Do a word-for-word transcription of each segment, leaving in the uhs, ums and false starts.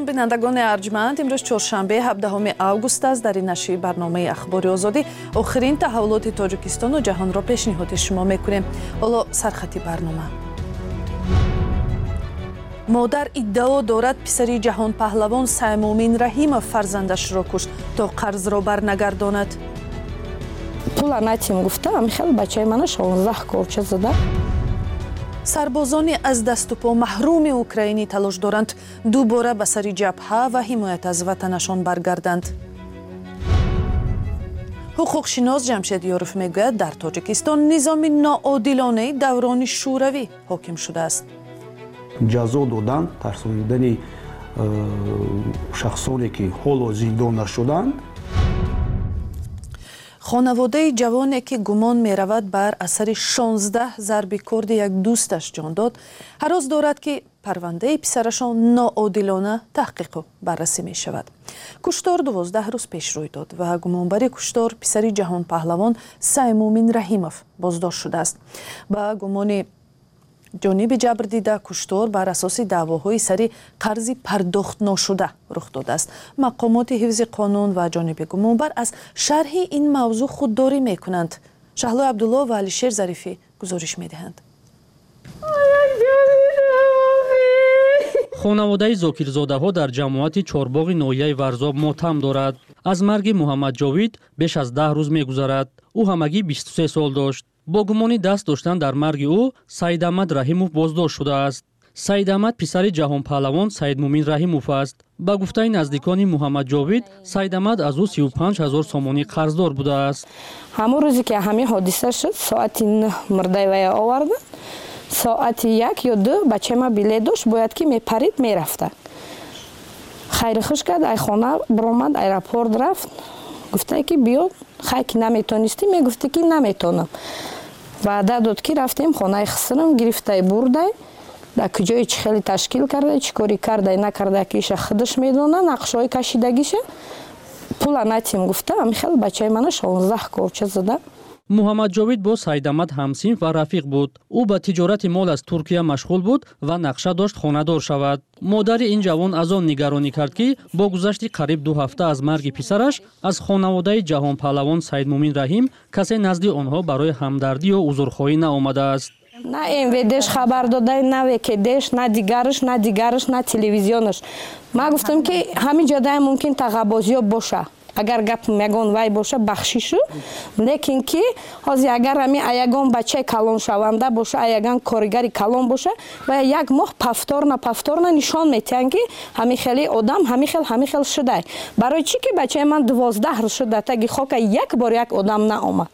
Салом, бинандагони арҷманд. Имрӯз чоршанбе, ҳабдаҳуми август аст. Дар ин нашри барномаи Ахбори Озодӣ охирин таҳаввулоти Тоҷикистону ҷаҳонро пешниҳоди шумо мекунем. Ҳоло сархати барнома. Модар иддао дорад, писари ҷаҳонпаҳлавон Саймумин Раҳимов фарзандашро кушт, то қарзро барнагардонад. Пула натим гуфта, ҳамихел бачаи мана шонздаҳ корча зада. Сарбозони аз дасту по маҳруми украинӣ талош доранд, дубора ба сари ҷабҳа ва ҳимоят аз ватанашон баргарданд. Ҳуқуқшинос Ҷамшед Ёров мегӯяд, дар Тоҷикистон низоми ноодилонаи даврони шӯравӣ ҳоким шудааст. Ҷазо додан, тарсонидани э, шахсоне, ки ҳоло зиндон нашуданд. Хонаводаи ҷавоне, ки гумон меравад бар асари шонздаҳ зарби корди як дӯсташ ҷон дод, ҳарос дорад, ки парвандаи писарашон ноодилона таҳқиқу баррасӣ мешавад. Куштор дувоздаҳ рӯз пеш рӯй дод ва гумонбари куштор, писари ҷаҳонпаҳлавон Саймумин Раҳимов, боздошт шудааст. Ба гумони ҷониби ҷабрдида, куштор бар асоси даъвоҳои сари қарзи пардохтношуда рух додааст. Мақомоти ҳифзи қонун ва ҷониби гумонбар аз шарҳи ин мавзӯъ худдорӣ мекунанд. Шаҳлои Абдулло ва Алишер Зарифӣ гузориш медиҳанд. Хонаводаи Зокирзодаҳо дар ҷамоати Чорбоғи ноҳияи Варзоб мотам дорад. Аз марги Муҳаммадҷовид беш аз даҳ рӯз мегузарад. Ӯ ҳамагӣ бисту се сол дошт. Бо гумони даст доштан дар марги ӯ Саидамад Раҳимов боздошт шудааст. Саидамад писари ҷаҳонпаҳлавон Саидмумин Раҳимов аст. Ба гуфтаи наздикони Муҳаммадҷовид, Саидамад аз ӯ сию панҷ ҳазор сомонӣ қарздор будааст. Ҳамон рӯзе, ки ҳамин ҳодиса шуд, соати нӯҳ мурдаи вая оварданд. Соати як ё ду бачаи ма билет дошт, бояд ки мепарид, мерафта. Хайри хуш кард, ай хона биромад, аэропорт рафт. Гуфта, ки биё, хай ки наметонистӣ, мегуфтӣ, ки наметонам. Ваъда дод, ки рафтем хонаи хисрам, гирифтай, бурдай. Дар куҷое чӣ хеле ташкил кардай, чӣ корӣ кардай, накардай, ки иша худаш медона, нақшҳои кашидагиша. Пула натим гуфта, ҳамихел бачаи мана шонздаҳ корча зада. Муҳаммадҷовид бо Саидамад ҳамсинф ва рафиқ буд. Ӯ ба тиҷорати мол аз Туркия машғул буд ва нақша дошт хонадор шавад. Модари ин ҷавон аз он нигаронӣ кард, ки бо гузашти қариб ду ҳафта аз марги писараш аз хонаводаи ҷаҳонпаҳлавон Саидмумин Раҳим касе назди онҳо барои ҳамдардӣ ё узрхоҳӣ наомадааст. На М В Дш хабар додай, на В К Дш, на дигараш, на дигараш, на телевизионаш. Ман гуфтам, ки ҳамин ҷодай мумкин тағабозиё боша, агар гап ягон вай боша, бахшишу, лекин ки ҳозир агар ҳами ягон бачаи калоншаванда боша, ягон коригари калон боша ва як моҳ повторно, повторно нишон метиҳанд, ки ҳамин хели одам ҳамин хел, ҳамин хел шудай. Барои чӣ ки бачаи ман дувоздаҳ рӯз шуд дар таги хока, як бор як одам наомад?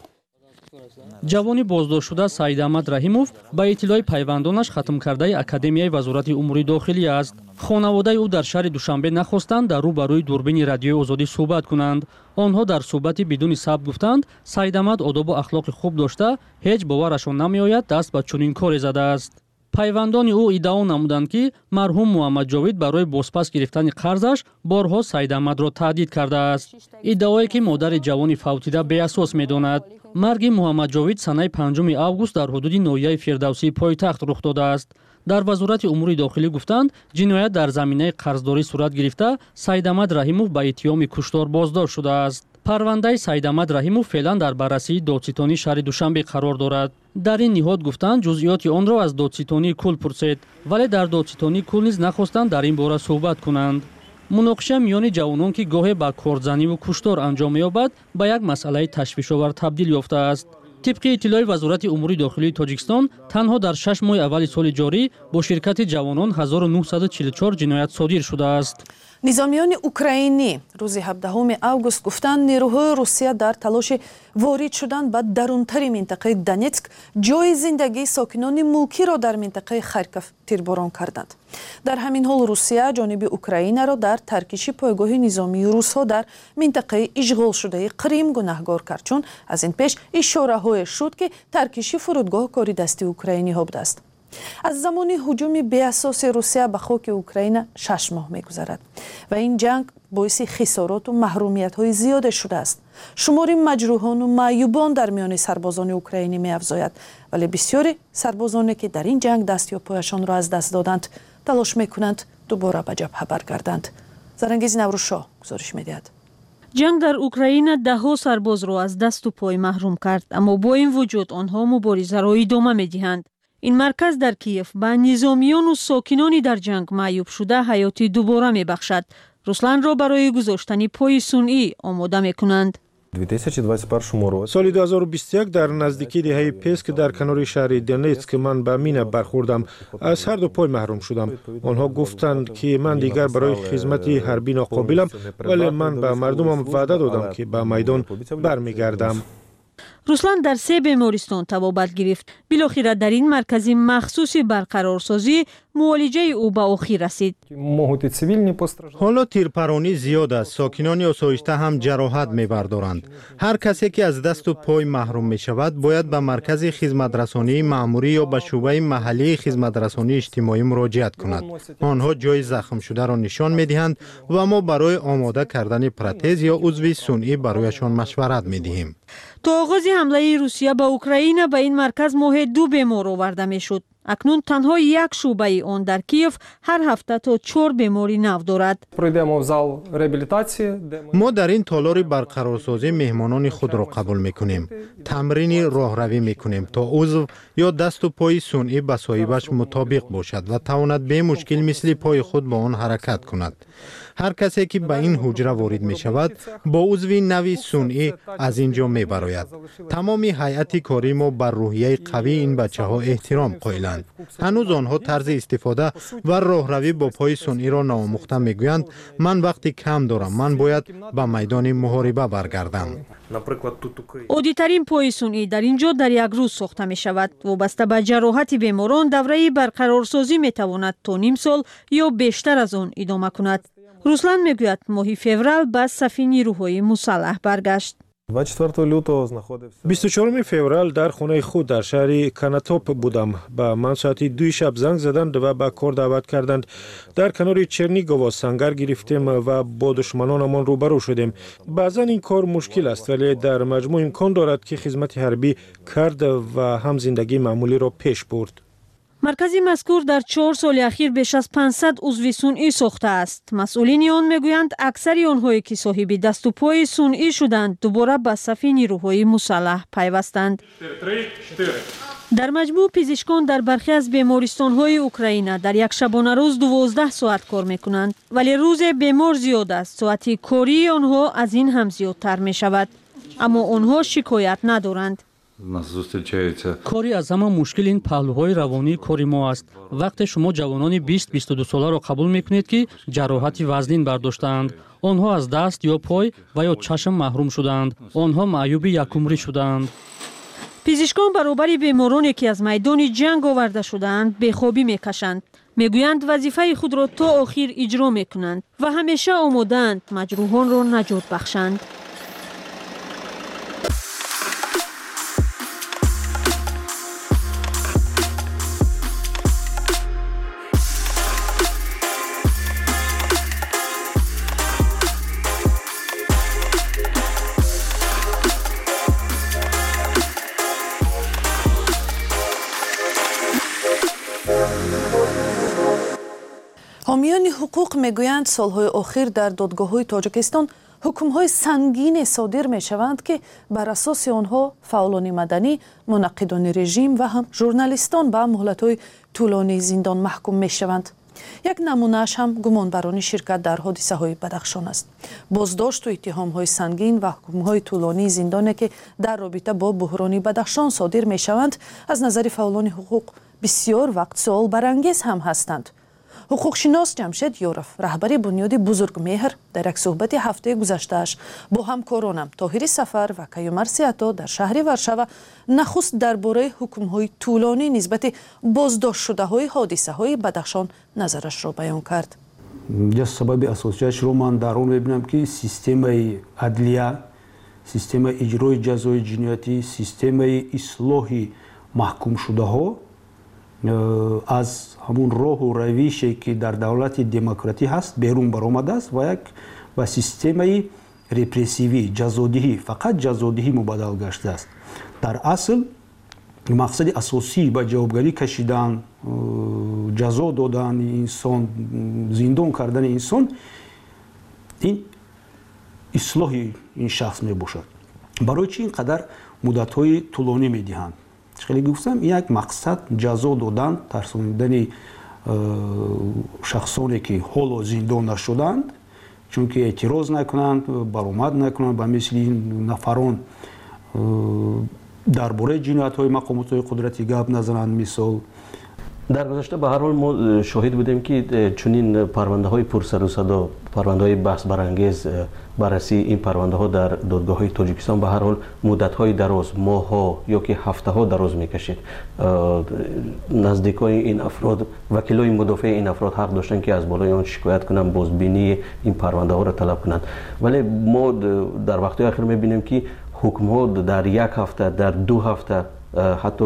Ҷавони боздоштшуда Саидамад Раҳимов, ба иттилои пайвандонаш, хатмкардаи Академияи Вазорати умури дохилӣ аст. Хонаводаи ӯ дар шаҳри Душанбе нахостанд дар рӯ ба рӯи дурбини Радиои Озодӣ суҳбат кунанд. Онҳо дар суҳбати бидуни сабт гуфтанд, Саидамад одобу ахлоқи хуб дошта, ҳеҷ боварашон намеояд, даст ба чунин коре задааст. Пайвандони ӯ иддао намуданд, ки марҳум Муҳаммадҷовид барои бозпас гирифтани қарзаш борҳо Саидамадро таҳдид кардааст, иддаое ки модари ҷавони фавтида беасос медонад. Марги Муҳаммадҷовид санаи панҷуми август дар ҳудуди ноҳияи Фирдавсии пойтахт рух додааст. Дар Вазорати умури дохилӣ гуфтанд, ҷиноят дар заминаи қарздорӣ сурат гирифта, Саидамад Раҳимов ба иттиҳоми куштор боздошт шудааст. Парвандаи Саидамад Раҳимов феълан дар баррасии додситонии шаҳри Душанбе қарор дорад. Дар ин ниҳод гуфтанд, ҷузъиёти онро аз додситонии кул пурсед, вале дар додситонии кул низ нахостанд дар ин бора суҳбат кунанд. Муноқиша миёни ҷавонон, ки гоҳе ба кордзаниву куштор анҷом меёбад, ба як масъалаи ташвишовар табдил ёфтааст. Тибқи иттилои Вазорати умури дохилии Тоҷикистон, танҳо дар шаш моҳи аввали соли ҷорӣ бо ширкати ҷавонон ҳазору нӯҳсаду чилу чор ҷиноят содир шудааст. Низомиёни украинӣ рӯзи ҳабдаҳуми август гуфтанд, нерӯҳои Русия дар талоши ворид шудан ба дарунтари минтақаи Донетск ҷои зиндагии сокинони мулкиро дар минтақаи Харьков тирборон карданд. Дар ҳамин ҳол Русия ҷониби Украинаро дар таркиши пойгоҳи низомии русҳо дар минтақаи ишғолшудаи Қрим гунаҳгор кард, чун аз ин пеш ишораҳое шуд, ки таркиши фурудгоҳ кори дасти украиниҳо будааст. Аз замони ҳуҷуми беасоси Русия ба хоки Украина шаш моҳ мегузарад ва ин ҷанг боиси хисороту маҳрумиятҳои зиёде шудааст. Шумори маҷрӯҳону маъюбон дар миёни сарбозони украинӣ меафзояд, вале бисёри сарбозоне, ки дар ин ҷанг даст ё пояшонро аз даст доданд, талош мекунанд Дубора ба ҷабҳа баргарданд. Зарангиз Наврӯзшоҳ гузориш медиҳад. Ҷанг дар Украина даҳҳо сарбозро аз дасту пой маҳрум кард, аммо бо ин вуҷуд онҳо муборизаро идома медиҳанд. Ин марказ дар Киев ба низомиёну сокинони дар ҷанг маъюб шуда ҳаёти дубора мебахшад. Русланро барои гузоштани пои сунъӣ омода мекунанд. Соли ду ҳазору бисту як дар наздикии деҳаи Песк дар канори шаҳри Донетск ман ба мина бархӯрдам. Аз ҳар ду пой маҳрум шудам. Онҳо гуфтанд, ки ман дигар барои хизмати ҳарбӣ ноқобилам, вале ман ба мардумам ваъда додам, ки ба майдон бармегардам. Руслан дар се бемористон табобат гирифт. Билохира дар ин маркази махсуси барқарорсозӣ муолиҷаи ӯ ба охир расид. Ҳоло тирпаронӣ зиёд аст. Сокинони осоишта ҳам ҷароҳат мебардоранд. Ҳар касе ки аз дасту пой маҳрум мешавад, бояд ба маркази хизматрасонии маъмурӣ ё ба шӯъбаи маҳаллии хизматрасонии иҷтимоӣ муроҷиат кунад. Онҳо ҷои захмшударо нишон медиҳанд ва мо барои омода кардани протез ё узви сунъӣ барояшон машварат медиҳем. То оғози ҳамлаи Русия ба Украина ба ин марказ моҳе ду бемор оварда мешуд. Акнун танҳо як шӯъбаи он дар Киев ҳар ҳафта то чор бемори нав дорад. Мо дар ин толори барқарорсозӣ меҳмонони худро қабул мекунем. Тамрини роҳравӣ мекунем, то узв ё дасту пои сунъӣ ба соҳибаш мутобиқ бошад ва тавонад бемушкил мисли пои худ бо он ҳаракат кунад. Ҳар касе ки ба ин ҳуҷра ворид мешавад, бо узви нави сунъӣ аз ин ҷо мебарояд. Тамоми ҳайати кории мо бар рӯҳияи қавии ин бачаҳо эҳтиром қоиланд. Ҳанӯз онҳо тарзи истифода ва роҳравӣ бо пои сунъиро наомӯхта мегӯянд: ман вақти кам дорам, ман бояд ба майдони муҳориба баргардам. Оддитарин пои сунъӣ дар ин ҷо дар як рӯз сохта мешавад. Вобаста ба ҷароҳати беморон давраи барқарорсозӣ метавонад то ним сол ё бештар аз он идома кунад. Руслан мегӯяд, моҳи феврал ба сафи нирӯҳои мусаллаҳ баргашт. бисту чаҳоруми феврал дар хонаи худ дар шаҳри Канатоп будам. Ба ман соати дуи шаб занг заданд ва ба кор даъват карданд. Дар канори Чернигово сангар гирифтем ва бо душманонамон рӯбарӯ шудем. Баъзан ин кор мушкил аст, вале дар маҷмӯъ имкон дорад, ки хизмати ҳарбӣ кард ва ҳам зиндагии маъмулиро пеш бурд. Маркази мазкур дар чор соли ахир беш аз панҷсад узви сунъӣ сохтааст. Масъулини он мегӯянд, аксари онҳое ки соҳиби дасту пои сунъӣ шуданд, дубора ба сафи нирӯҳои мусаллаҳ пайвастанд. Дар маҷмӯъ пизишкон дар бархе аз бемористонҳои Украина дар як шабонарӯз дувоздаҳ соат кор мекунанд, вале рӯзе бемор зиёд аст, соати кории онҳо аз ин ҳам зиёдтар мешавад. Аммо онҳо шикоят надоранд. Кори аз ҳама мушкил ин паҳлӯҳои равонии кори мо аст. Вақте шумо ҷавонони бист бисту ду соларо қабул мекунед, ки ҷароҳати вазнин бардоштаанд, онҳо аз даст ё пой ва ё чашм маҳрум шудаанд, онҳо маъюби якумрӣ шудаанд. Пизишкон баробари бемороне ки аз майдони ҷанг оварда шудаанд, бехобӣ мекашанд. Мегӯянд, вазифаи худро то охир иҷро мекунанд ва ҳамеша омодаанд маҷрӯҳонро наҷот бахшанд. Ҳомиёни ҳуқуқ мегӯянд, солҳои охир дар додгоҳҳои Тоҷикистон ҳукмҳои сангине содир мешаванд, ки бар асоси онҳо фаъолони маданӣ, мунаққидони режим ва ҳам журналистон ба муҳлатҳои тӯлонии зиндон маҳкум мешаванд. Як намунааш ҳам гумонбарони ширкат дар ҳодисаҳои Бадахшон аст. Боздошту иттиҳомҳои сангин ва ҳукмҳои тӯлонии зиндоне, ки дар робита бо буҳрони Бадахшон содир мешаванд, аз назари фаъолони ҳуқуқ бисёр вақт суолбарангез ҳам ҳастанд. Ҳуқуқшинос Ҷамшед Ёров, раҳбари бунёди Бузургмеҳр, дар як суҳбати ҳафтаи гузаштааш бо ҳамкоронам Тоҳири Сафар ва Каюмар Сиато дар шаҳри Варшава нахуст дар бораи ҳукмҳои тӯлонӣ нисбати боздоштшудаҳои ҳодисаҳои Бадахшон назарашро баён кард. Як сабаби асосияшро ман дар он мебинам, ки системаи адлия, системаи иҷрои ҷазои ҷиноятӣ, системаи ислоҳи маҳкумшудаҳо аз ҳамун роҳу равише, ки дар давлати демократӣ ҳаст, берун баромадааст ва як ба системаи репрессивӣ, ҷазодиҳӣ, фақат ҷазодиҳӣ мубаддал гаштааст. Дар асл Мақсади асосӣ ба ҷавобгарӣ кашидан, ҷазо додани инсон, зиндон кардани инсон ин ислоҳи ин шахс мебошад. Барои чӣ ин қадар муддатҳои тӯлонӣ медиҳанд? Хеле гуфтам, як мақсад ҷазо додан, тарсонидани шахсоне ки ҳоло зиндон нашуданд, чунки эътироз накунанд, баромад накунанд, ба мисли ин нафарон дар бораи ҷиноятҳои мақомотҳои қудратӣ гап назананд. Мисол, дар гузашта ба ҳар ҳол мо шоҳид будем, ки чунин парвандаҳои пурсару садо, парвандаҳои баҳсбарангез, баррасии ин парвандаҳо дар додгоҳҳои Тоҷикистон ба ҳар ҳол муддатҳои дароз, моҳҳо ё ки ҳафтаҳо дароз мекашид. Наздикони ин афрод, вакилои мудофеи ин афрод ҳақ доштанд, ки аз болои он шикоят кунанд, бозбинии ин парвандаҳоро талаб кунанд. Вале мо дар вақтҳои ахир мебинем, ки ҳукмҳо дар як ҳафта, дар ду ҳафта, ҳатто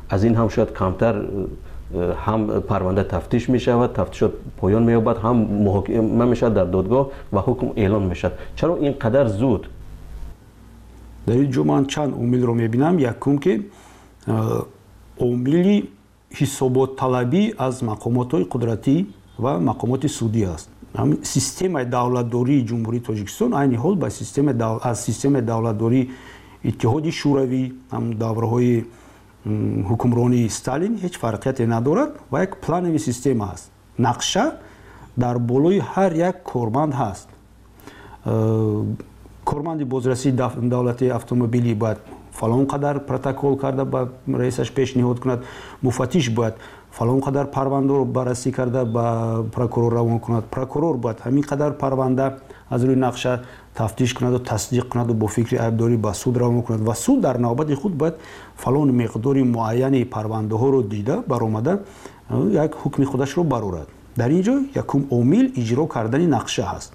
аз ин ҳам шояд камтар, ҳам парванда тафтиш мешавад, тафтишот поён меёбад, ҳам муҳокима мешавад дар додгоҳ ва ҳукм эълон мешавад. Чаро ин қадар зуд? Дар ин ҷо ман чанд омилро мебинам. Якум, ки омили ҳисоботталабӣ аз мақомотҳои қудратӣ ва мақомоти судӣ аст. Системаи давлатдории Ҷумҳурии Тоҷикистон айни ҳол ба системаи аз системаи давлатдории Иттиҳоди Шӯравӣ, ҳам давраҳои ҳукмронии Сталин ҳеҷ фарқияте надорад ва як планови система аст. Нақша дар болои ҳар як корманд ҳаст. Корманди бозрасии давлатии автомобилӣ бояд фалон қадар протокол карда ба раисаш пешниҳод кунад, муфаттиш бояд фалон қадар парвандаро баррасӣ карда ба прокурор равон кунад, прокурор бояд ҳамин қадар парванда аз рӯи нақша тафтиш кунаду тасдиқ кунаду бо фикри айбдорӣ ба суд равон кунад ва суд дар навбати худ бояд фалон миқдори муайяни парвандаҳоро дида баромада як ҳукми худашро барорад. Дар ин ҷо якум омил иҷро кардани нақша ҳаст.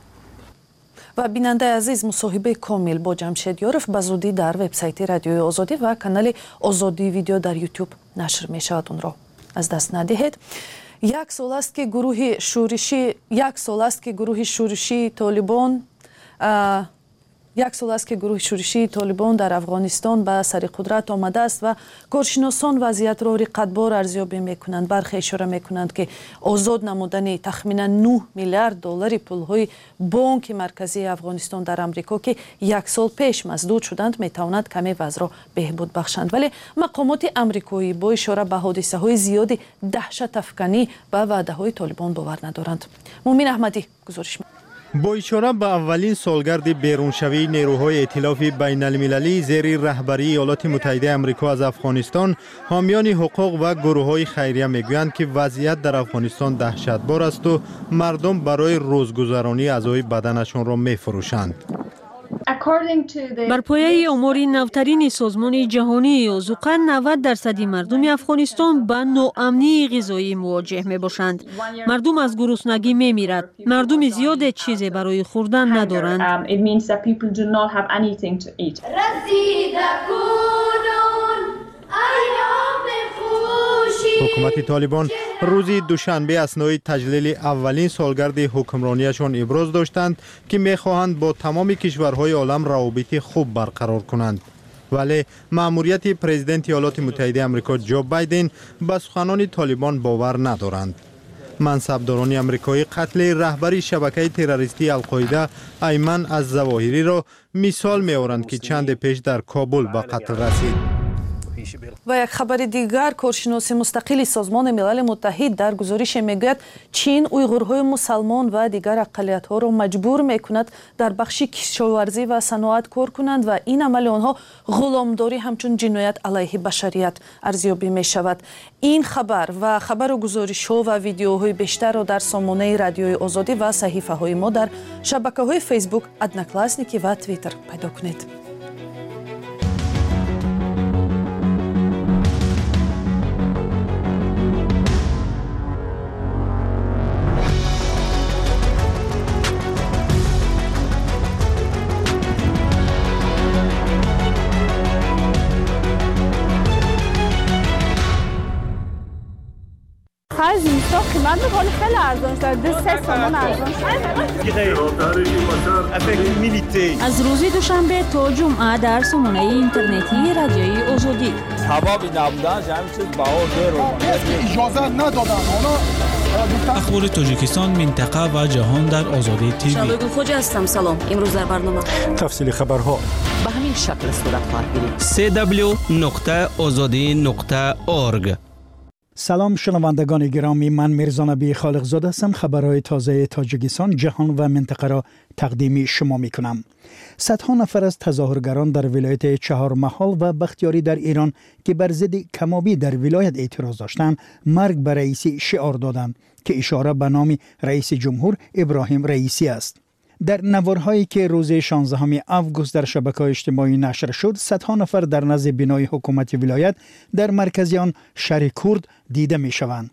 Ва бинандаи азиз, мусоҳибаи комил бо Ҷамшед Ёров ба зудӣ дар вебсайти Радиои Озодӣ ва канали Озодӣ видео дар Ютуб нашр мешавад. Онро аз даст надиҳед. Як сол аст, ки гурӯҳи шӯришӣ як сол аст ки гурӯҳи шӯришии Толибон як сол аст ки гурӯҳи шӯришии Толибон дар Афғонистон ба сари қудрат омадааст ва коршиносон вазъиятро риқатбор арзёбӣ мекунанд. Бархе ишора мекунанд, ки озод намудани тахминан нӯҳ миллиард доллари пулҳои Бонки Марказии Афғонистон дар Амрико, ки як сол пеш масдуд шуданд, метавонад каме вазъро беҳбуд бахшанд. Вале мақомоти амрикоӣ бо ишора ба ҳодисаҳои зиёди даҳшатафканӣ ба ваъдаҳои Толибон бовар надоранд. Мумин Аҳмадӣ гузориш. Бо ишора ба аввалин солгарди беруншавии нерӯҳои эътилофи байналмилалӣ зери раҳбарии Иёлоти Муттаҳидаи Амрико аз Афғонистон, ҳомиёни ҳуқуқ ва гурӯҳҳои хайрия мегӯянд, ки вазъият дар Афғонистон даҳшатбор асту мардум барои рӯзгузаронии аъзои баданашонро мефурӯшанд. Бар пояи омори навтарини Созмони Ҷаҳонии озуқа, навад дарсади мардуми Афғонистон ба ноамнии ғизоӣ мувоҷеҳ мебошанд. Мардум аз гуруснагӣ мемирад. Мардуми зиёде чизе барои хӯрдан надоранд. Ҳукумати Толибон рӯзи душанбе аснои таҷлили аввалин солгарди ҳукмронияшон иброз доштанд, ки мехоҳанд бо тамоми кишварҳои олам равобити хуб барқарор кунанд. Вале маъмурияти президенти Иёлоти Муттаҳидаи Амрико Ҷо Байден ба суханони Толибон бовар надоранд. Мансабдорони амрикоӣ қатли раҳбари шабакаи террористии Алқоида Айман аз Завоҳириро мисол меоранд, ки чанде пеш дар Кобул ба қатл расид. Ва як хабари дигар, коршиноси мустақили Созмони Милали Муттаҳид дар гузорише мегӯяд, Чин уйғурҳои мусалмон ва дигар ақаллиятҳоро маҷбур мекунад дар бахши кишоварзӣ ва саноат кор кунанд ва ин амали онҳо ғуломдорӣ ҳамчун ҷиноят алайҳи башарият арзёбӣ мешавад. Ин хабар ва хабару гузоришҳо ва видеоҳои бештарро дар сомонаи Радиои Озодӣ ва саҳифаҳои мо дар шабакаҳои Фейсбук, Одноклассники ва Твиттер пайдо кунед. Охир зимистон қимат буд, ҳоло хеле арзон шуд. Ду се сомон арзон шуд. Аз рӯзи душанбе то ҷумъа дар сомонаи интернетии Радиои Озодӣ. Сабаби набуданаш ҳамин чиз баҳо берун. Иҷозат надоданд. Онҳо Ахбори Тоҷикистон, минтақа ва ҷаҳон дар Озодӣ ТВ. Шанбе Гулхоҷа ҳастам. Салом. Имрӯз дар барнома тафсили хабарҳо ба ҳамин шакл сурат хоҳад гирифт. си дабл ю нуқта озодӣ нуқта орг. Салом шунавандагони гиромӣ, ман Мирзо Набӣ Холиқзода ҳастам. Хабарҳои тозаи Тоҷикистон, ҷаҳон ва минтақаро тақдими шумо мекунам. Садҳо нафар аз тазоҳургарон дар вилояти Чаҳормаҳол ва Бахтиёрӣ дар Эрон, ки бар зидди камобӣ дар вилоят эътироз доштанд, марг ба раисӣ шиор доданд, ки ишора ба номи раиси ҷумҳур Иброҳим Раисӣ аст. Дар наворҳое ки рӯзи шонздаҳуми август дар шабакаҳои иҷтимоӣ нашр шуд, садҳо нафар дар назди бинои ҳукумати вилоят дар маркази он шаҳри Курд дида мешаванд.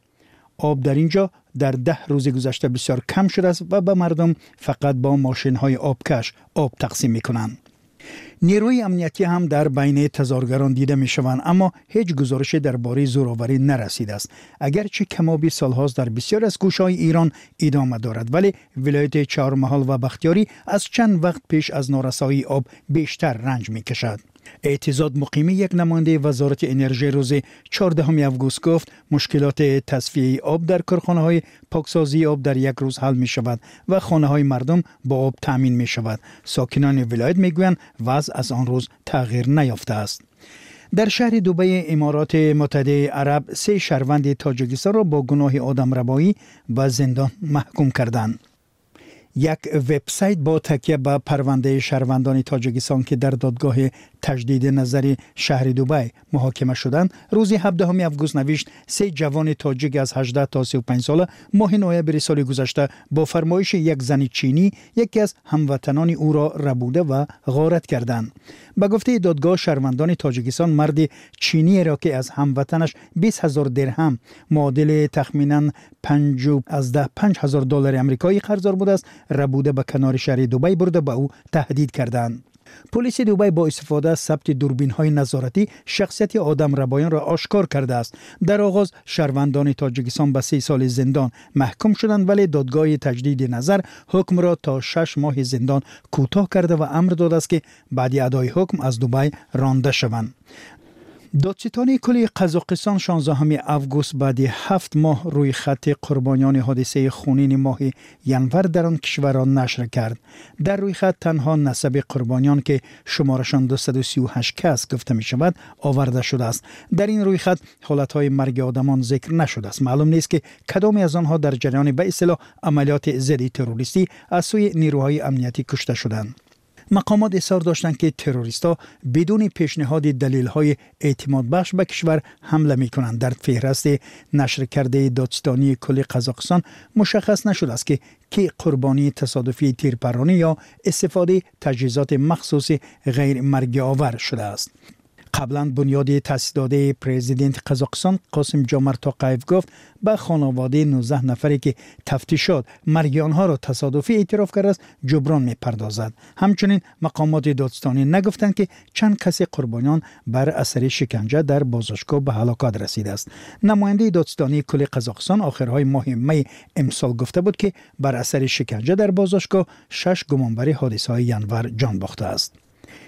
Об дар ин ҷо дар даҳ рӯзи гузашта бисёр кам шудааст ва ба мардум фақат бо мошинҳои обкаш об тақсим мекунанд. Нерӯи амниятӣ ҳам дар байни тазоҳургарон дида мешаванд, аммо ҳеҷ гузорише дар бораи зӯроварӣ нарасидааст. Агарчи камобӣ солҳост дар бисёр аз гӯшаҳои Эрон идома дорад, вале вилояти Чаҳормаҳол ва Бахтиёрӣ аз чанд вақт пеш аз норасоии об бештар ранҷ мекашад. Эътизод Муқимӣ, як намояндаи вазорати энержӣ, рӯзи чордаҳуми август гуфт, мушкилоти тасфияи об дар корхонаҳои поксозии об дар як рӯз ҳал мешавад ва хонаҳои мардум бо об таъмин мешавад. Сокинони вилоят мегӯянд, вазъ аз он рӯз тағйир наёфтааст. Дар шаҳри Дубайи Имороти Муттаҳидаи Араб се шаҳрванди Тоҷикистонро бо гуноҳи одамрабоӣ ба зиндон маҳкум карданд. Як вебсайт бо такя ба парвандаи шаҳрвандони Тоҷикистон, ки дар додгоҳи таҷдиди назари шаҳри Дубай муҳокима шуданд, рӯзи ҳабдаҳуми август навишт, се ҷавони тоҷик аз ҳаждаҳ то сию панҷ сола моҳи ноябри соли гузашта бо фармоиши як зани чинӣ яке аз ҳамватанони ӯро рабуда ва ғорат карданд. Ба гуфтаи додгоҳ, шаҳрвандони Тоҷикистон марди чиниеро, ки аз ҳамватанаш бист ҳазор дирҳам, муодили тахминан панҷу аз даҳ панҷ ҳазор доллари амрикоӣ қарздор будааст, рабуда ба канори шаҳри Дубай бурда ба ӯ таҳдид карданд. Полиси Дубай бо истифода аз сабти дурбинҳои назоратӣ шахсияти одамрабоёнро ошкор кардааст. Дар оғоз шаҳрвандони Тоҷикистон ба се соли зиндон маҳкум шуданд, вале додгоҳи таҷдиди назар ҳукмро то шаш моҳи зиндон кӯтоҳ карда ва амр додааст, ки баъди адои ҳукм аз Дубай ронда шаванд. Додситонии кулли Қазоқистон шонздаҳуми август баъди ҳафт моҳ рӯи хатти қурбониёни ҳодисаи хунини моҳи январ дар он кишварро нашр кард. Дар рӯйхат танҳо насаби қурбониён, ки шуморашон дусаду сию ҳашт кас гуфта мешавад, оварда шудааст. Дар ин рӯйхат ҳолатҳои марги одамон зикр нашудааст. Маълум нест, ки кадоме аз онҳо дар ҷараёни ба истилоҳ амалиёти зидди террористӣ аз сӯи нерӯҳои амниятӣ кушта шуданд. Мақомот изҳор доштанд, ки террористҳо бидуни пешниҳоди далелҳои эътимодбахш ба кишвар ҳамла мекунанд. Дар феҳрасти нашр кардаи додситонии кулли Қазоқистон мушаххас нашудааст, ки ки қурбонии тасодуфии тирпаронӣ ё истифодаи таҷҳизоти махсуси ғайрмаргиовар шудааст. Қаблан бунёди таъсисдодаи президенти Қазоқистон Қосим Ҷомарт Тоқаев гуфт, ба хонаводаи нуздаҳ нафаре, ки тафтишот марги онҳоро тасодуфӣ эътироф кардааст, ҷуброн мепардозад. Ҳамчунин мақомоти додстонӣ нагуфтанд, ки чанд каси қурбониён бар асари шиканҷа дар боздоштгоҳ ба ҳалокат расидааст. Намояндаи додстонии кулли Қазоқистон охирҳои моҳи май имсол гуфта буд, ки бар асари шиканҷа дар боздоштгоҳ шаш гумонбари ҳодисаҳои январ ҷон бохтааст.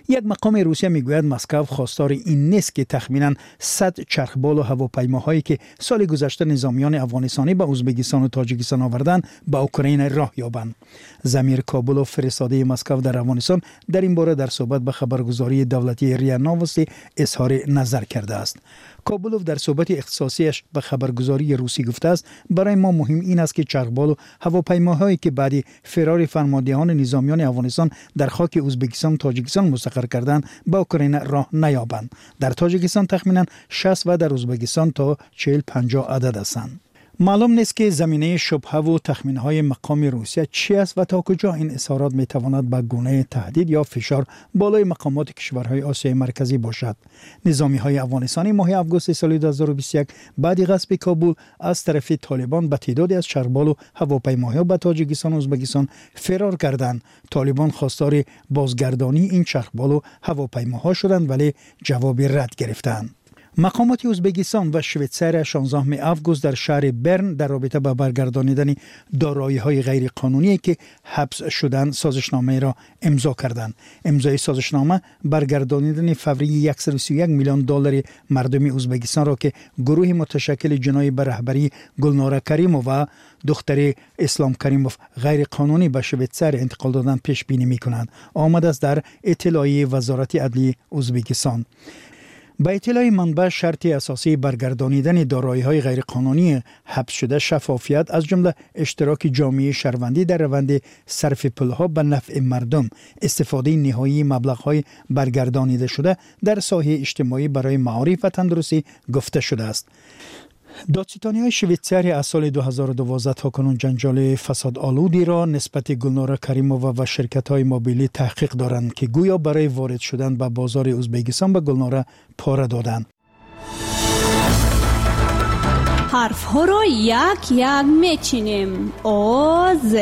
Як мақоми Русия мегӯяд, Москав хостори ин нест, ки тахминан сад чархболу ҳавопаймоҳое, ки соли гузашта низомиёни афғонистонӣ ба Ӯзбекистону Тоҷикистон оварданд, ба Украина роҳ ёбанд. Замир Кобулов, фиристодаи Москав дар Афғонистон, дар ин бора дар суҳбат ба хабаргузории давлатии РИА Новости изҳори назар кардааст. Кобулов дар суҳбати ихтисосиаш ба хабаргузории русӣ гуфтааст, барои мо муҳим ин аст, ки чархболу ҳавопаймоҳое, ки баъди фирори фармондеҳони низомиёни Афғонистон дар хоки Ӯзбекистону Тоҷикистон мустақар карданд, ба Украина роҳ наёбанд. Дар Тоҷикистон тахминан шаст ва дар Ӯзбекистон то чил панҷоҳ адад ҳастанд. Маълум нест, ки заминаи шубҳаву тахминҳои мақоми Русия чи аст ва то куҷо ин изҳорот метавонад ба гунаи таҳдид ё фишор болои мақомоти кишварҳои Осиёи Марказӣ бошад. Низомиҳои афғонистонӣ моҳи августи соли ду ҳазору бисту як баъди ғасби Кобул аз тарафи Толибон ба теъдоде аз чархболу ҳавопаймоҳо ба Тоҷикистону Ӯзбекистон фирор карданд. Толибон хостори бозгардонии ин чархболу ҳавопаймоҳо шуданд, вале ҷавоби рад гирифтанд. Мақомоти Ӯзбекистон ва Швейтсария шонздаҳуми август дар шаҳри Берн дар робита ба баргардонидани дороиҳои ғайриқонуние ки ҳабс шуданд созишномаеро имзо карданд. Имзои созишнома баргардонидани фаврии яксаду сию як миллион доллари мардуми Ӯзбекистонро ки гурӯҳи муташаккили ҷиноӣ ба раҳбарии Гулнора Каримова, духтари Ислом Каримов, ғайриқонунӣ ба Швейтсария интиқол доданд пешбинӣ мекунанд. Омадааст дар иттилои Вазорати адлии Ӯзбекистон. Ба иттилои манбаъ, шарти асосии баргардонидани дороиҳои ғайриқонунии ҳабсшуда шаффофият, аз ҷумла иштироки ҷомеаи шаҳрвандӣ дар раванди сарфи пулҳо ба нафъи мардум, истифодаи ниҳоии маблағҳои баргардонидашуда дар соҳаи иҷтимоӣ барои маориф ва тандурустӣ гуфта шудааст. Додситониҳои Швейтсария аз соли ду ҳазору дувоздаҳ то кунун ҷанҷоли фасодолудиро нисбати Гулнора Каримова ва ширкатҳои мобилӣ таҳқиқ доранд, ки гӯё барои ворид шудан ба бозори Ӯзбекистон ба Гулнора пора доданд. Ҳарфҳоро як-як мечинем. О, З,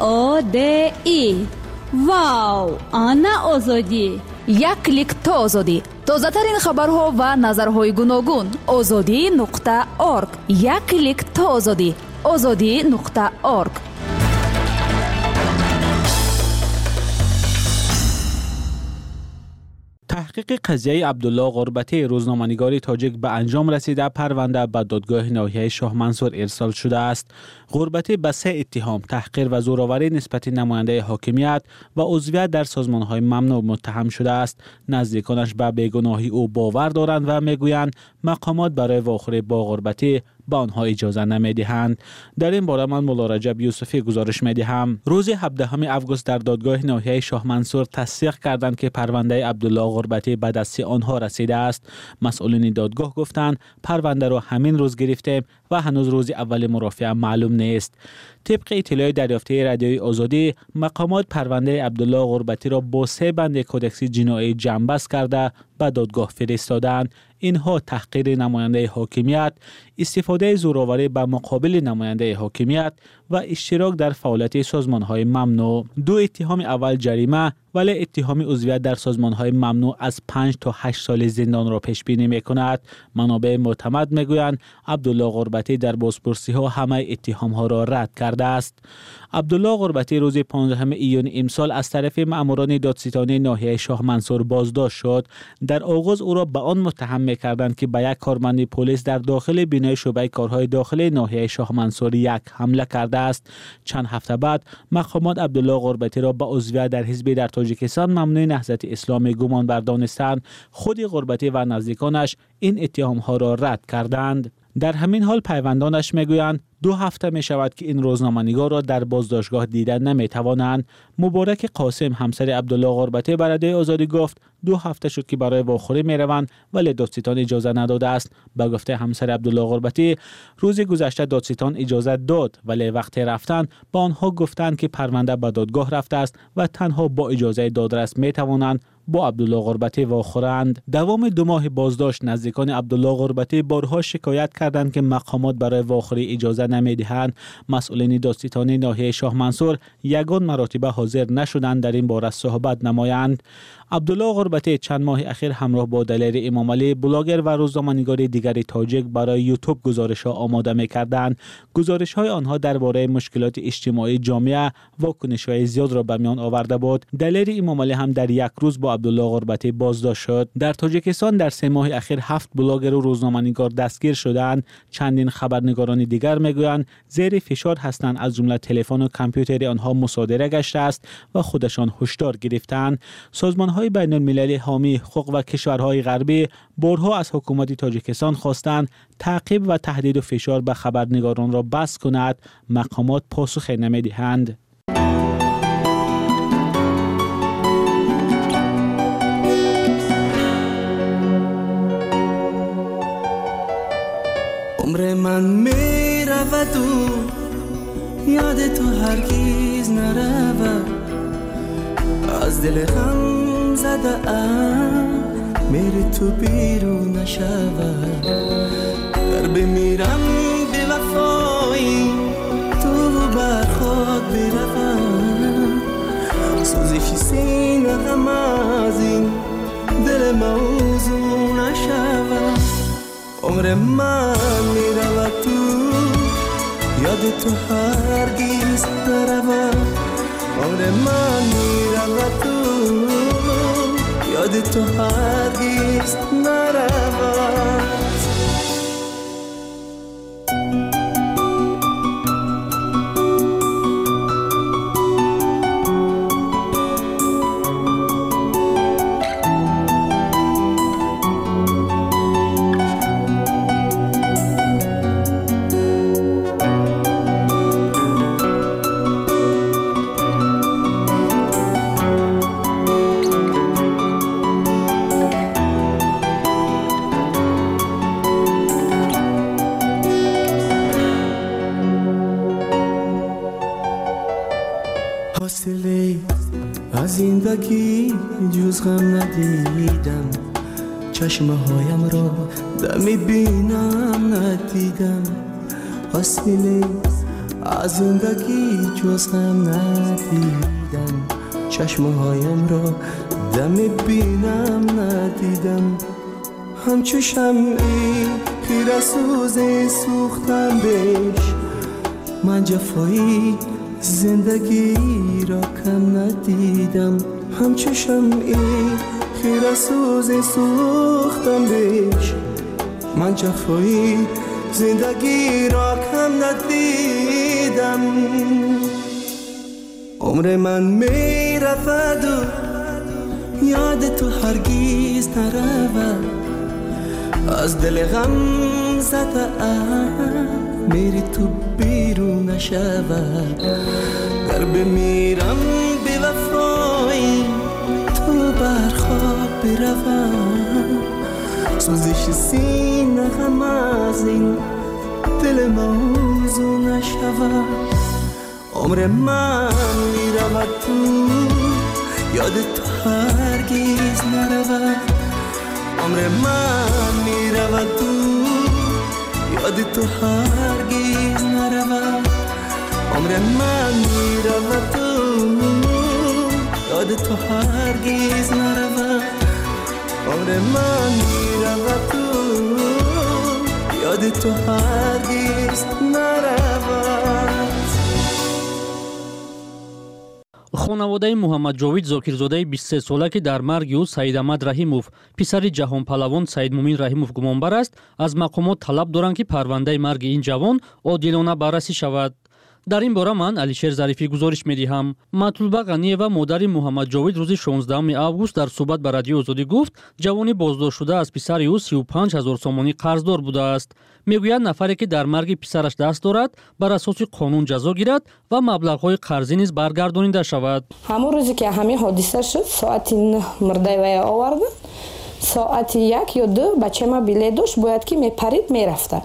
О, Д, И. Вау! Ана Озодӣ! Як клик то Озодӣ. Тозатарин хабарҳо ва назарҳои гуногун. Озодӣ нуқта орг. Як клик то Озодӣ. Озодӣ нуқта орг. Таҳқиқи қазияи Абдулло Ғурбатӣ, рӯзноманигори тоҷик, ба анҷом расида, парванда ба додгоҳи ноҳияи Шоҳмансур ирсол шудааст. Ғурбатӣ ба се иттиҳом таҳқир ва зӯроварӣ нисбати намояндаи ҳокимият ва узвият дар созмонҳои мамнӯъ муттаҳам шудааст. Наздиконаш ба бегуноҳии ӯ бовар доранд ва мегӯянд мақомот барои вохӯрӣ бо Ғурбатӣ ба онҳо иҷоза намедиҳанд. Дар ин бора ман Мулло Раҷаб Юсуфӣ гузориш медиҳам. Рӯзи ҳабдаҳуми август дар додгоҳи ноҳияи Шоҳмансур тасдиқ карданд, ки парвандаи Абдулло Ғурбатӣ ба дасти онҳо расидааст. Масъулини додгоҳ гуфтанд парвандаро ҳамин рӯз гирифтем ва ҳанӯз рӯзи аввали мурофиа маълум нест. Тибқи иттилои дарёфтаи Радиои Озодӣ, мақомот парвандаи Абдулло Ғурбатиро бо се банди кодекси ҷиноӣ ҷамъбаст карда ба додгоҳ фиристоданд. Инҳо таҳқири намояндаи ҳокимият, истифодаи зӯроварӣ ба муқобили намояндаи ҳокимият ва иштирок дар фаъолияти созмонҳои мамнӯъ. Ду иттиҳоми аввал ҷарима, вале иттиҳоми узвият дар созмонҳои мамнӯъ аз панҷ то ҳашт соли зиндонро пешбинӣ мекунад. Манобеи мӯътамад мегӯянд Абдулло Ғурбатӣ дар бозпурсиҳо ҳамаи иттиҳомҳоро рад кардааст. Абдулло Ғурбатӣ рӯзи понздаҳуми июни имсол аз тарафи маъмурони додситонии ноҳияи Шоҳмансур боздошт шуд. Дар оғоз ӯро ба он муттаҳам мекарданд, ки ба як корманди полис дар дохили бинои шӯъбаи корҳои дохилии ноҳияи Шоҳмансур як ҳамла кардааст. Чанд ҳафта баъд мақомот Абдулло Ғурбатиро ба узвият дар ҳизби дар Тоҷикистон мамнӯи Наҳзати Исломӣ гумон бардонистанд. Худи Ғурбатӣ ва наздиконаш ин иттиҳомҳоро рад карданд. Дар ҳамин ҳол пайвандонаш мегӯянд ду ҳафта мешавад, ки ин рӯзноманигорро дар боздоштгоҳ дида наметавонанд. Муборак Қосим, ҳамсари Абдулло Ғурбатӣ, ба Радиои Озодӣ гуфт ду ҳафта шуд, ки барои вохӯрӣ мераванд, вале додситон иҷоза надодааст. Ба гуфтаи ҳамсари Абдулло Ғурбатӣ, рӯзи гузашта додситон иҷоза дод, вале вақте рафтанд ба онҳо гуфтанд, ки парванда ба додгоҳ рафтааст ва танҳо бо иҷозаи додрас метавонанд бо Абдулло Ғурбатӣ вохӯранд. Давоми ду моҳи боздошт наздикони Абдулло Ғурбатӣ борҳо шикоят карданд, ки мақомот барои вохӯрӣ иҷоза намедиҳанд. Масъулини додситонии ноҳияи Шоҳмансур ягон маротиба ҳозир нашуданд дар ин бора суҳбат намоянд. Абдулло Ғурбатӣ чанд моҳи ахир ҳамроҳ бо Далери Имомалӣ, блогер ва рӯзноманигори дигари тоҷик, барои Ютуб гузоришҳо омода мекарданд. Гузоришҳои онҳо дар бораи мушкилоти иҷтимоии ҷомеа вокунишҳои зиёдро ба миён оварда буд. Далери Имомалӣ ҳам дар як рӯз бо Абдулло Ғурбатӣ боздошт шуд. Дар Тоҷикистон дар се моҳи ахир ҳафт блогеру рӯзноманигор дастгир шудаанд. Чандин хабарнигорони дигар мегӯянд зери фишор ҳастанд, аз ҷумла телефону компютери онҳо мусодира гаштааст ва худашон ҳушдор гирифтаанд. Созмонҳои байналмилалӣ ҳомии ҳуқуқ ва кишварҳои ғарбӣ борҳо аз ҳукумати Тоҷикистон хостанд таъқиб ва таҳдиду фишор ба хабарнигоронро бас кунад. Мақомот посухе намедиҳанд. عمر من میرود و یاد تو هرگز نرود، از دل غم زده ام میری تو بیرون نشود، گر بمیرم به وفایی تو بر خاک بروم، سوزش سینه غم از این دل موزون نشود. عمر من میرود تو یاد تو هرگز نرود عمر من میرود تو یاد تو هرگز نرود. زندگی جز غم ندیدم، چشمهایم را دمی بینم ندیدم. حاصله از زندگی جز غم ندیدم، چشمهایم را دمی بینم ندیدم. همچو شمعی خیره سوز سوختم بش، من جفایی زندگی را کم ندیدم. همچو شمعی خیره سوز سوختم بش، من جفایی زندگی را کم ندیدم. عمر من می رود و یاد تو هرگز نرود، از دل غم زده ام میری تو بیرون نشود. گر بمیرم بی وفایی تو بر خاک بروم، سوزش سینه غم از این دل موزون نشود. عمر من میرود تو یاد تو هرگز نرود، عمر من میرود تو یاد تو هرگز نرود. عمر من میرود تو یاد تو هرگز نرود، عمر من میرود تو یاد تو هرگز نرود. Хонаводаи Муҳаммадҷовид Зокирзодаи бисту се сола, ки дар марги ӯ Саидамад Раҳимов, писари ҷаҳонпалавон Саидмумин Раҳимов гумонбар аст, аз мақомот талаб доранд, ки парвандаи марги ин ҷавон одилона баррасӣ шавад. Дар ин бора ман Алишер Зарифӣ гузориш медиҳам. Матлуба Ғаниева, модари Муҳаммадҷовид, рӯзи шонздаҳуми август дар суҳбат ба Радиои Озодӣ гуфт, ҷавони боздоштшуда аз писари ӯ сию панҷ ҳазор сомонӣ қарздор будааст. Мегӯяд, нафаре ки дар марги писараш даст дорад, бар асоси қонун ҷазо гирад ва маблағҳои қарзӣ низ баргардонида шавад. Ҳамон рӯзе ки ҳамин ҳодиса шуд, соати нӯҳ мурдаи вая оварданд, соати як ё ду бачаи ман билет дошт, бояд ки мепарид мерафта.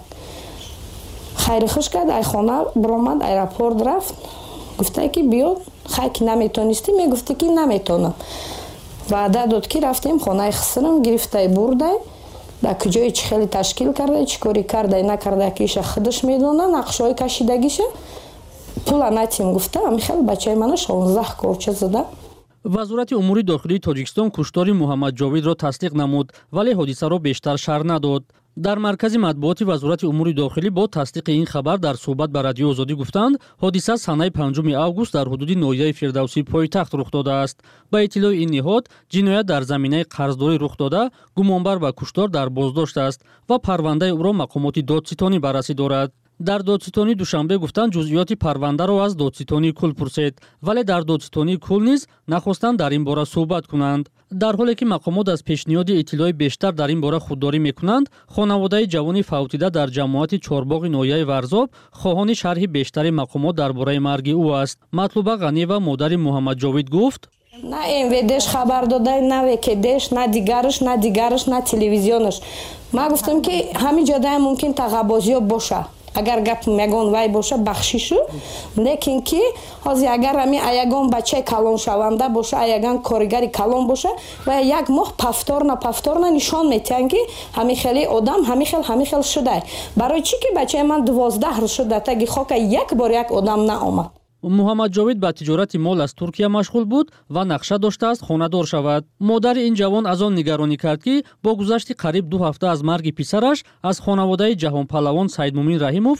Хайри хуш кард, ай хона биромад, аэропорт рафт, гуфта ки биё, хай ки наметонистӣ, мегуфтӣ ки наметонам. Ваъда дод ки рафтем хонаи хисрам, гирифтай бурдай, дар куҷое чӣ хеле ташкил кардай, чӣ корӣ кардай, накардай, ки иша худаш медона, нақшҳои кашидагиша, пула натим гуфта, ами хел бачаи мана шонздаҳ корча зада. Вазорати умури дохилии Тоҷикистон куштори Муҳаммадҷовидро тасдиқ намуд, вале ҳодисаро бештар шарҳ надод. Дар маркази матбуоти Вазорати умури дохилӣ бо тасдиқи ин хабар дар суҳбат ба Радиои Озодӣ гуфтанд, ҳодиса санаи панҷуми август дар ҳудуди ноҳияи Фирдавсии пойтахт рух додааст. Ба иттилои ин ниҳод, ҷиноят дар заминаи қарздорӣ рух дода, гумонбар ба куштор дар боздошт аст ва парвандаи ӯро мақомоти додситонӣ баррасӣ дорад. Дар додситонии Душанбе гуфтанд, ҷузъиёти парвандаро аз додситонии кул пурсед, вале дар додситонии кул низ нахостанд дар ин бора суҳбат кунанд. Дар ҳоле ки мақомот аз пешниҳоди иттилои бештар дар ин бора худдорӣ мекунанд, хонаводаи ҷавони фавтида дар ҷамоати Чорбоғи ноҳияи Варзоб хоҳони шарҳи бештари мақомот дар бораи марги ӯ аст. Матлуба Ғаниева, модари Муҳаммадҷовид, гуфт: на эм вэ дэш хабар додай, на вэ ка дэш, на дигараш, на дигараш, на телевизионаш. Ман гуфтам ки ҳамин ҷодаям мумкин тағабозиё боша. Агар гап ягон вай боша, бахшишу, лекин ки ҳозир агар ҳамин ягон бачаи калоншаванда боша, ягон коригари калон боша, ва як моҳ повторно повторно нишон метиҳанд ки ҳамин хели одам ҳамин хел ҳамин хел шудай. Барои чӣ ки бачаи ман дувоздаҳ рӯз шуд дар таги хока, як бор як одам наомад. Муҳаммадҷовид ба тиҷорати мол аз Туркия машғул буд ва нақша доштааст хонадор шавад. Модари ин ҷавон аз он нигаронӣ кард, ки бо гузашти қариб ду ҳафта аз марги писараш аз хонаводаи ҷаҳонпаҳлавон Саидмумин Раҳимов.